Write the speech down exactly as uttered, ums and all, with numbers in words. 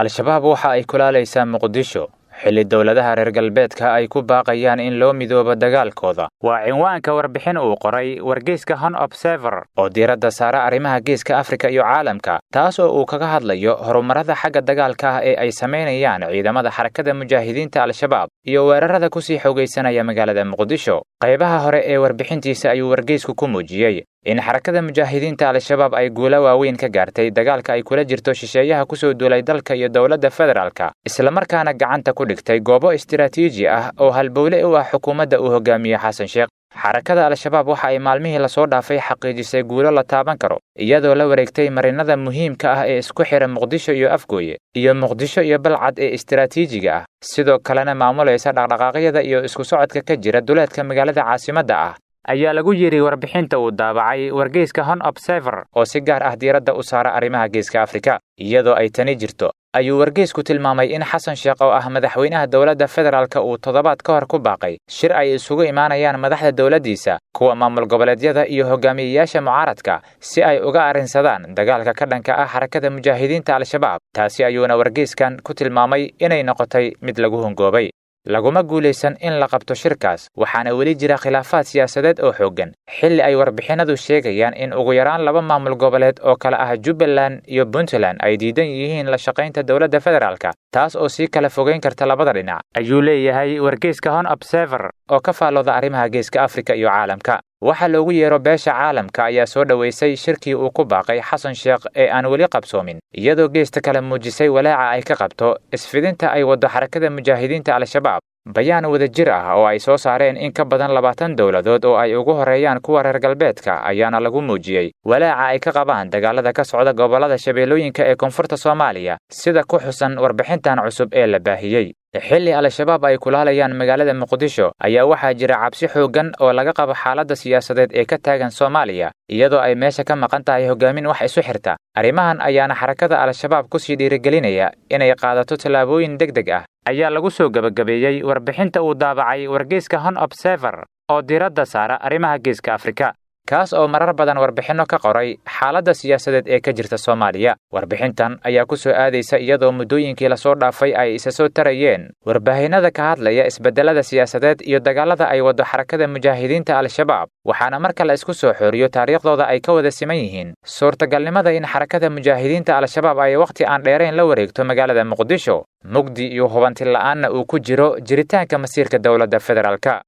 Al-Shabaab waxa ay kulaalaysaa Muqdisho xilli dowladaha reer galbeedka ay ku baaqayaan in loo midoobo dagaalkooda. Waa cinwaanka warbixin uu qoray wargeyska Horn Observer oo diiradda saara arrimaha geeska Afrika iyo caalamka, taas oo uu kaga hadlayo horumarada xagga dagaalka ah ee ay samaynayaan ciidamada Xarakada Mujaahidiinta Al-Shabaab iyo weerarada kusii xoogaysanaya magaalada Muqdisho. Qaybaha hore ee warbixintiisa ayuu wargeysku ku muujiyey in Xarakada Mujaahidiinta Al-Shabaab ay guulo waaweyn ka gaartay dagaalka ay kula jirto shisheeyaha kusoo duulay dalka iyo dowladda federaalka, islamarkaana gacanta ku dhigtay goobo istiraatiiji ah oo halbowle u ah xukuumadda uu hogaamiye Xasan Sheekh. Xarakada Al-Shabaab waxa ay maalmihii lasoo dhaafay xaqiijisay guulo la taaban karo, iyadoo la wareegtay marinada muhiimka ah ee isku xira Muqdisho iyo Afgooye iyo Muqdisho iyo Balcad ee istiraatiijiga ah, sidoo kalena maamulaysa dhaqdhaqaaqyada iyo isku socodka ka jira duleedka magaalada caasimadda ah, ayaa lagu yidhi warbixinta uu daabacay wargeyska Horn Observer oo si gaar ah diiradda u saara arrimaha geeska Afrika. Iyadoo ay tani jirto, ayuu wargeysku tilmaamay in Xasan Sheekh oo ah madaxweynaha dowladda federaalka uu toddobaad ka hor ku baaqay shir ay isugu imaanayaan madaxda dowladdiisa, kuwa maamul goboleedyada iyo hogaamiyeyaasha mucaaradka si ay uga arrinsadaan dagaalka ka dhanka ah Xarakada Mujaahidiinta Al-Shabaab. Taasi ayuuna wargeyskan ku tilmaamay inay noqotay mid lagu hongoobay. Laguma guulaysan in la qabto shirkaas, waxaana weli jira khilaafaad siyaasadeed oo xooggan, xilli ay warbixinadu sheegayaan in ugu yaraan laba maamul goboleed oo kala ah Jubbaland iyo Puntland ay diidan yihiin la shaqaynta dowladda federaalka, taas oo sii kala fogeyn karta labada dhinac, ayuu leeyahay wargeyska Horn Observer oo ka faallooda arrimaha geeska Afrika iyo caalamka. Waxa loogu yeero beesha caalamka ayaa soo dhoweysay shirkii uu ku baaqay Xasan Sheekh ee aan weli qabsoomin, iyadoo geesta kale muujisay walaaca ay ka qabto isfidinta ay waddo Xarakada Mujaahidiinta Al-Shabaab. Bayaan wadajir ah oo ay soo saareen in ka badan labaatan dowladood oo ay ugu horeeyaan kuwa reer galbeedka ayaana lagu muujiyey walaaca ay ka qabaan dagaalada ka socda gobollada Shabeellooyinka ee koonfurta Soomaaliya, sida ku xusan warbixintan cusub ee la baahiyey. Xilli Al-Shabaab ay kulaalayaan magaalada Muqdisho ayaa waxaa jira cabsi xooggan oo laga qabo xaaladda siyaasadeed ee ka taagan Soomaaliya, iyadoo ay meesha ka maqan tahay hogaamin wax isu xirta. Arrimahan ayaana Xarakada Al-Shabaab kusii dhiirigelinaya inay qaadato tallaabooyin deg deg ah, ayaa lagu soo gebagabeeyey warbixinta uu daabacay wargeyska Horn Observer oo diiradda saara arrimaha geeska Afrika, kaas oo marar badan warbixinno ka qoray xaaladda siyaasadeed ee ka jirta Soomaaliya. Warbixintan ayaa ku soo aadaysa iyadoo muddooyinkii lasoo dhaafay ay isa soo tarayeen warbaahinada ka hadlaya isbedelada siyaasadeed iyo dagaalada ay waddo Xarakada Mujaahidiinta Al-Shabaab, waxaana marka la isku soo xooriyo taariikhdooda ay ka wada siman yihiin suurtagalnimada in Xarakada Mujaahidiinta Al-Shabaab ay wakhti aan dheerayn la wareegto magaalada Muqdisho, mugdi iyo hubanti la'aanna uu ku jiro jiritaanka masiirka dowladda federaalka.